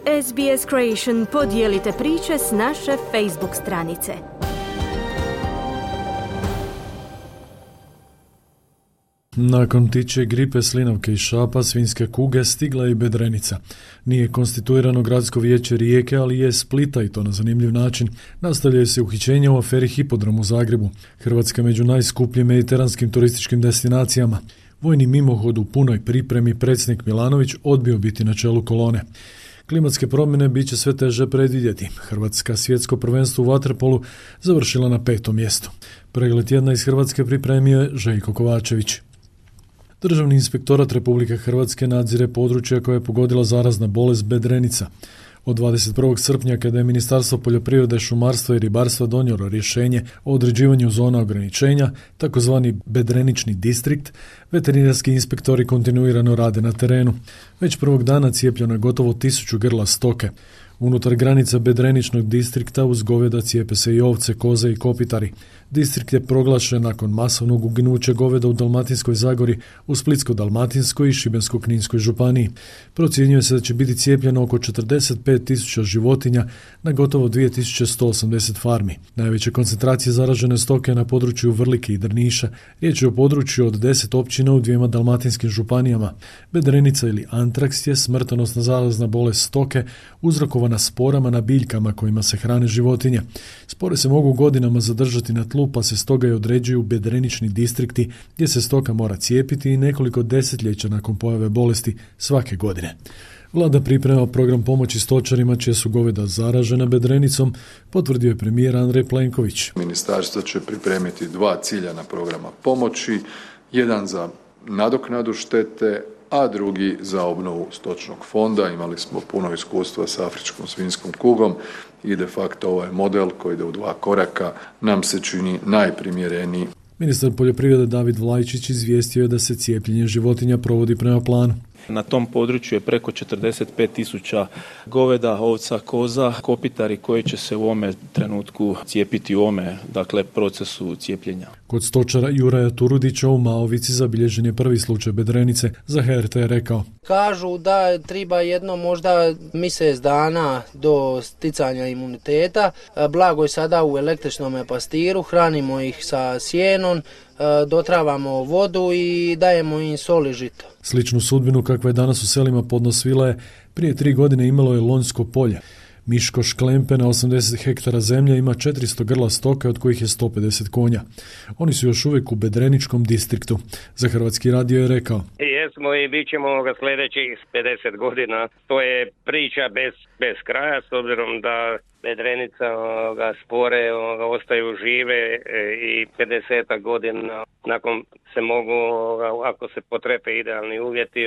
SBS Creation, podijelite priče s naše Facebook stranice. Nakon ptičje gripe, slinavke i šapa, svinjske kuge, stigla je i bedrenica. Nije konstituirano gradsko vijeće Rijeke, ali je Splita, i to na zanimljiv način. Nastavljaju se uhićenja u aferi Hipodrom u Zagrebu. Hrvatska među najskupljim mediteranskim turističkim destinacijama. Vojni mimohod u punoj pripremi, predsjednik Milanović odbio biti na čelu kolone. Klimatske promjene bit će sve teže predvidjeti. Hrvatska svjetsko prvenstvo u vaterpolu završila na 5. mjestu. Pregled tjedna iz Hrvatske pripremio je Željko Kovačević. Državni inspektorat Republike Hrvatske nadzire područja koje je pogodila zarazna bolest bedrenica. Od 21. srpnja, kada je Ministarstvo poljoprivrede, šumarstva i ribarstva donijelo rješenje o određivanju zona ograničenja, takozvani bedrenični distrikt, veterinarski inspektori kontinuirano rade na terenu. Već prvog dana cijepljeno je gotovo 1000 grla stoke. Unutar granica bedreničnog distrikta uz goveda cijepe se i ovce, koze i kopitari. Distrikt je proglašen nakon masovnog uginuća goveda u Dalmatinskoj Zagori, u Splitsko-dalmatinskoj i Šibensko-kninskoj županiji. Procjenjuje se da će biti cijepljeno oko 45.000 životinja na gotovo 2180 farmi. Najveće koncentracije zaražene stoke na području Vrlike i Drniša. Riječ je o području od 10 općina u 2 dalmatinskim županijama. Bedrenica ili antraks je smrtonosna zarazna bolest stoke uzrokovana sporama na biljkama kojima se hrane životinje. Spore se mogu godinama zadržati na tlu, pa se stoga i određuju bedrenični distrikti gdje se stoka mora cijepiti i nekoliko desetljeća nakon pojave bolesti svake godine. Vlada priprema program pomoći stočarima čija su goveda zaražena bedrenicom, potvrdio je premijer Andrej Plenković. Ministarstvo će pripremiti 2 ciljana programa pomoći, jedan za nadoknadu štete, a drugi za obnovu stočnog fonda. Imali smo puno iskustva s afričkom svinjskom kugom i de facto ovaj model koji ide u 2 koraka nam se čini najprimjereniji. Ministar poljoprivrede David Vlajčić izvijestio je da se cijepljenje životinja provodi prema planu. Na tom području je preko 45.000 goveda, ovca, koza, kopitari koji će se u ovome trenutku cijepiti u ovome, procesu cijepljenja. Kod stočara Juraja Turudića u Maovici zabilježen je prvi slučaj bedrenice. Za HRT je rekao: kažu da treba jedno možda mjesec dana do sticanja imuniteta. Blago je sada u električnom pastiru, hranimo ih sa sjenom, dotravamo vodu i dajemo im sol i žito. Sličnu sudbinu kakva je danas u selima Podnosvila je prije 3 godine imalo je Lonjsko polje. Miško Šklempe na 80 hektara zemlje ima 400 grla stoke, od kojih je 150 konja. Oni su još uvijek u bedreničkom distriktu. Za Hrvatski radio je rekao: jesmo i bit ćemo sljedećih 50 godina. To je priča bez kraja, s obzirom da bedrenica spore ostaju žive i 50 godina nakon se mogu, ako se potrepe idealni uvjeti,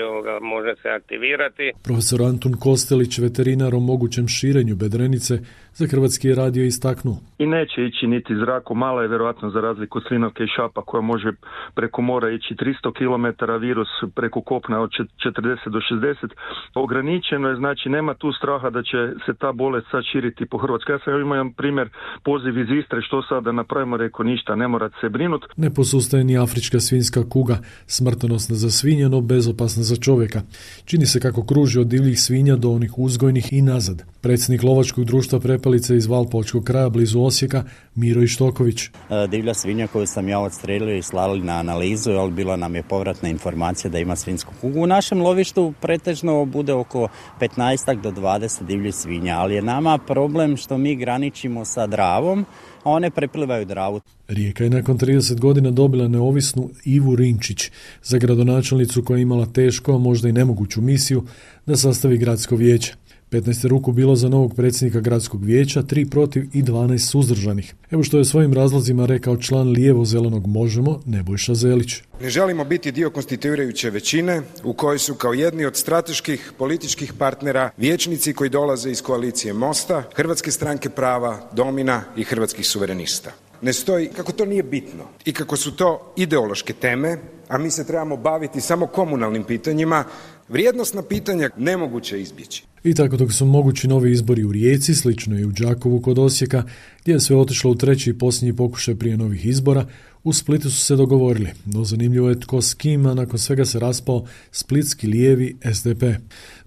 može se aktivirati. Profesor Antun Kostelić, veterinar o mogućem širenju bedrenice, za Hrvatski radio istaknuo: i neće ići niti zraku, mala je vjerojatno za razliku od slinavke i šapa koja može preko mora ići 300 km, virus preko kopna od 40 do 60. Ograničeno je, znači nema tu straha da će se ta bolest sad širiti po Hrvatskoj. Ja sam imao primjer, poziv iz Istre, što sad da napravimo, rekao ništa, ne morate se brinuti. Ne posustaje ni afrička svinjska kuga, smrtonosna za svinje, no bezopasna za čovjeka. Čini se kako kruži od divljih svinja do onih uzgojnih i nazad. Predsjednik lovačkog društva Prepelice iz Valpovačkog kraja blizu Osijeka, Miro Ištoković. Divlja svinja koju sam ja odstrelio i slali na analizu, ali bila nam je povratna informacija da ima svinjsku kugu. U našem lovištu pretežno bude oko 15 do 20 divljih svinja, ali je nama problem što mi graničimo sa Dravom, a one preplivaju Dravu. Rijeka je nakon 30 godina dobila neovisnu Ivu Rinčić, za gradonačelnicu koja je imala tešku, a možda i nemoguću misiju da sastavi gradsko vijeće. 15 ruku bilo za novog predsjednika gradskog vijeća, 3 protiv i 12 suzdržanih. Evo što je svojim razlozima rekao član lijevo-zelenog Možemo, Nebojša Zelić. Ne želimo biti dio konstituirajuće većine u kojoj su kao jedni od strateških političkih partnera vijećnici koji dolaze iz koalicije Mosta, Hrvatske stranke prava, Domina i Hrvatskih suverenista. Ne stoji kako to nije bitno i kako su to ideološke teme, a mi se trebamo baviti samo komunalnim pitanjima, vrijednosna pitanja nemoguće izbjeći. I tako dok su mogući novi izbori u Rijeci, slično i u Đakovu kod Osijeka, gdje je sve otišlo u treći i posljednji pokušaj prije novih izbora, U Splitu su se dogovorili, no zanimljivo je tko s kim, a nakon svega se raspao splitski lijevi SDP.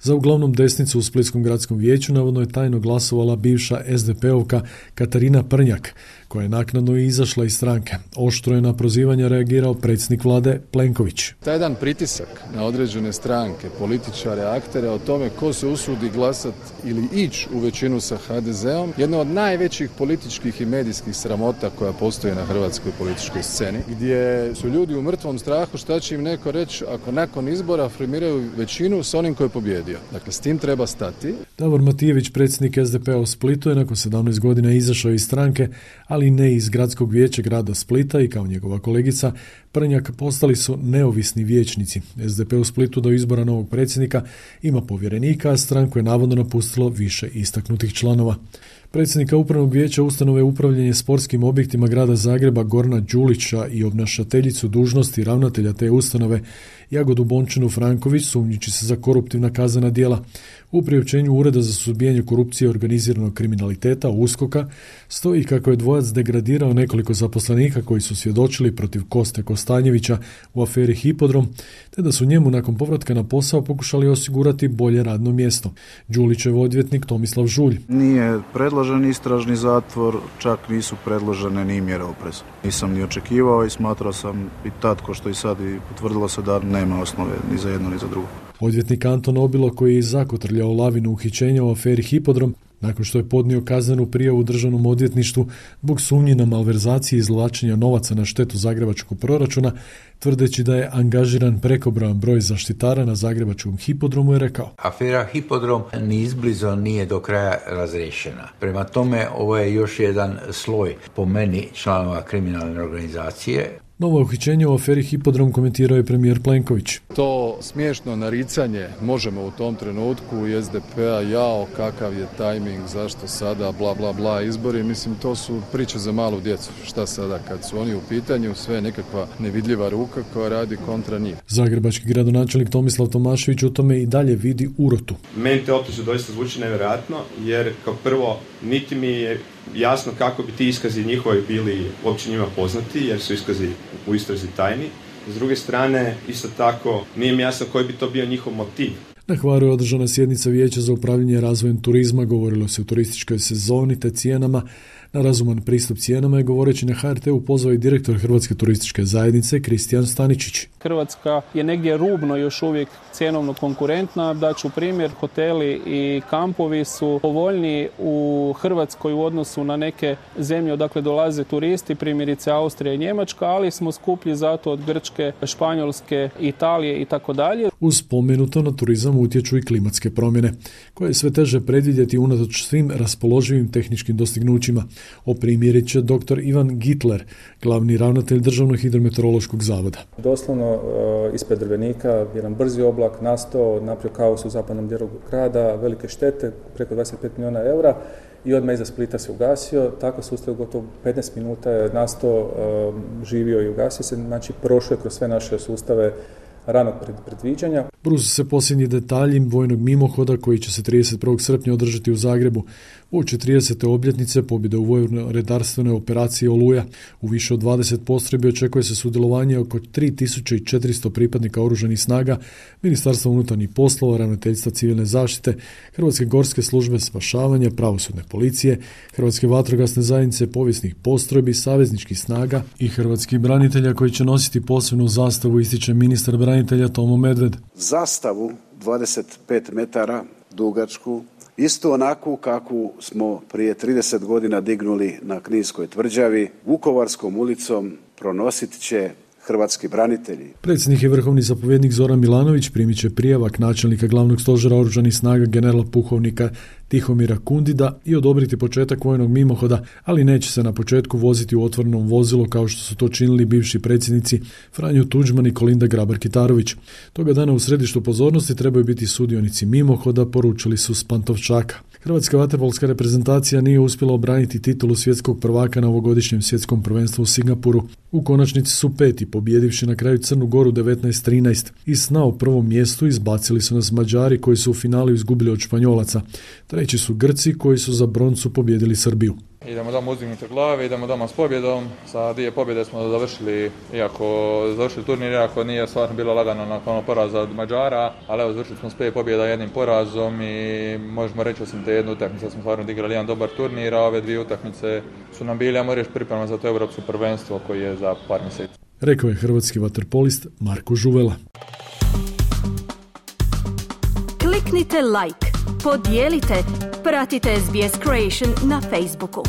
Za uglavnom desnicu u Splitskom gradskom vijeću navodno je tajno glasovala bivša SDP-ovka Katarina Prnjak, koja je naknadno izašla iz stranke. Oštro je na prozivanja reagirao predsjednik vlade Plenković. Taj jedan pritisak na određene stranke, političare, aktere o tome ko se usudi glasati ili ići u većinu sa HDZ-om, jedna od najvećih političkih i medijskih sramota koja postoji na hrvatskoj političkoj sceni, gdje su ljudi u mrtvom strahu šta će im neko reći ako nakon izbora formiraju većinu s onim koji je pobjedio. Dakle, s tim treba stati. Davor Matijević, predsjednik SDP-a u Splitu, je nakon 17 godina izašao iz stranke, ali ne iz gradskog vijeća grada Splita i kao njegova kolegica Prnjak postali su neovisni vijećnici. SDP u Splitu do izbora novog predsjednika ima povjerenika, a stranku je navodno napustilo više istaknutih članova. Predsjednika upravnog vijeća ustanove upravljanje sportskim objektima grada Zagreba Gorana Đulića i obnašateljicu dužnosti ravnatelja te ustanove Jagodu Bončinu Franković sumnjiči se za koruptivna kaznena djela. U priopćenju Ureda za suzbijanje korupcije i organiziranog kriminaliteta USKOK-a stoji kako je dvojac degradirao nekoliko zaposlenika koji su svjedočili protiv Koste Kostanjevića u aferi Hipodrom, te da su njemu nakon povratka na posao pokušali osigurati bolje radno mjesto. Đulićev odvjetnik Tomislav Žulj. Nije predložen istražni zatvor, čak nisu predložene ni mjere opreza. Nisam ni očekivao i smatrao sam i tad, ko što i sad, i potvrdilo se da nema osnove ni za jedno ni za drugo. Odvjetnik Anton Obilo, koji je zakotrljao lavinu uhićenja u aferi Hipodrom, nakon što je podnio kaznenu prijavu državnom odvjetništvu zbog sumnji na malverzaciji i izvlačenja novaca na štetu zagrebačkog proračuna, tvrdeći da je angažiran prekobrojan broj zaštitara na zagrebačkom hipodromu, je rekao: Afera Hipodrom ni izblizo nije do kraja razriješena. Prema tome, ovo je još jedan sloj, po meni, članova kriminalne organizacije. Novo uhićenje u aferi Hipodrom komentirao je premijer Plenković. To smiješno naricanje možemo u tom trenutku i SDP-a, jao kakav je tajming, zašto sada, bla bla bla izbori, mislim to su priče za malu djecu. Šta sada kad su oni u pitanju, sve je nekakva nevidljiva ruka koja radi kontra njih. Zagrebački gradonačelnik Tomislav Tomašević u tome i dalje vidi urotu. Meni te optužbe doista zvuči nevjerojatno, jer kao prvo niti mi je jasno kako bi ti iskazi njihovi bili uopće njima poznati, jer su iskazi u istrazi tajni. S druge strane, isto tako, nije mi jasno koji bi to bio njihov motiv. Na Hvaru je održana sjednica Vijeća za upravljanje razvojem turizma, govorilo se o turističkoj sezoni te cijenama. Na razuman pristup cijenama je, govoreći na HRT-u, pozvao i direktor Hrvatske turističke zajednice Kristijan Staničić. Hrvatska je negdje rubno još uvijek cjenovno konkurentna. Daću primjer, hoteli i kampovi su povoljniji u Hrvatskoj u odnosu na neke zemlje odakle dolaze turisti, primjerice Austrija i Njemačka, ali smo skuplji zato od Grčke, Španjolske, Italije i tako dalje. Uz spomenuto na turizam utječu i klimatske promjene, koje je sve teže predvidjeti unatoč svim raspoloživim tehničkim dostignućima. Oprimjerit će dr. Ivan Gitler, glavni ravnatelj Državnog hidrometeorološkog zavoda. Doslovno ispred Drvenika jedan brzi oblak nastao, napravio kaos u zapadnom dijelu grada, velike štete, preko 25 milijuna eura i odmah iza Splita se ugasio. Tako sustav gotovo 15 minuta je nastao, živio i ugasio se, znači prošao je kroz sve naše sustave ranog predviđanja. Bruse se posljednji detalji vojnog mimohoda koji će se 31. srpnja održati u Zagrebu. Uoči 30. obljetnice pobjede u vojno-redarstvenoj operaciji Oluja. U više od 20 postrojbi očekuje se sudjelovanje oko 3400 pripadnika oružanih snaga, Ministarstva unutarnjih poslova, Ravnateljstva civilne zaštite, Hrvatske gorske službe spašavanja, pravosudne policije, Hrvatske vatrogasne zajednice, povijesnih postrojbi, savezničkih snaga i hrvatskih branitelja koji će nositi posebnu zastavu, ističe ministar branitelja Tomo Medved. Zastavu 25 metara dugačku, isto onakvu kakvu smo prije 30 godina dignuli na Kninskoj tvrđavi, Vukovarskom ulicom pronosit će hrvatski branitelji. Predsjednik i vrhovni zapovjednik Zoran Milanović primit će prijavak načelnika glavnog stožera oružanih snaga generala pukovnika Tihomira Kundida i odobriti početak vojnog mimohoda, ali neće se na početku voziti u otvorenom vozilu kao što su to činili bivši predsjednici Franjo Tuđman i Kolinda Grabar-Kitarović. Toga dana u središtu pozornosti trebaju biti sudionici mimohoda, poručili su s Pantovčaka. Hrvatska vaterpolska reprezentacija nije uspjela obraniti titulu svjetskog prvaka na ovogodišnjem svjetskom prvenstvu u Singapuru. U konačnici su peti, pobjedivši na kraju Crnu Goru 19-13. Iz sna o prvom mjestu izbacili su nas Mađari koji su u finalu izgubili od Španjolaca. Treći su Grci koji su za broncu pobjedili Srbiju. Idemo doma uzdignute glave, idemo doma s pobjedom. Sa 2 pobjede smo završili turnir, iako nije stvarno bilo lagano nakon poraza od Mađara, ali evo završili smo s 5 pobjeda 1 porazom i možemo reći osim te jednu utakmicu smo stvarno odigrali jedan dobar turnir, a ove 2 utakmice su nam bile, ajmo reći, priprema za to europsko prvenstvo koji je za par mjeseci. Rekao je hrvatski vaterpolist Marko Žuvela. Kliknite like, podijelite, pratite SBS Creation na Facebooku.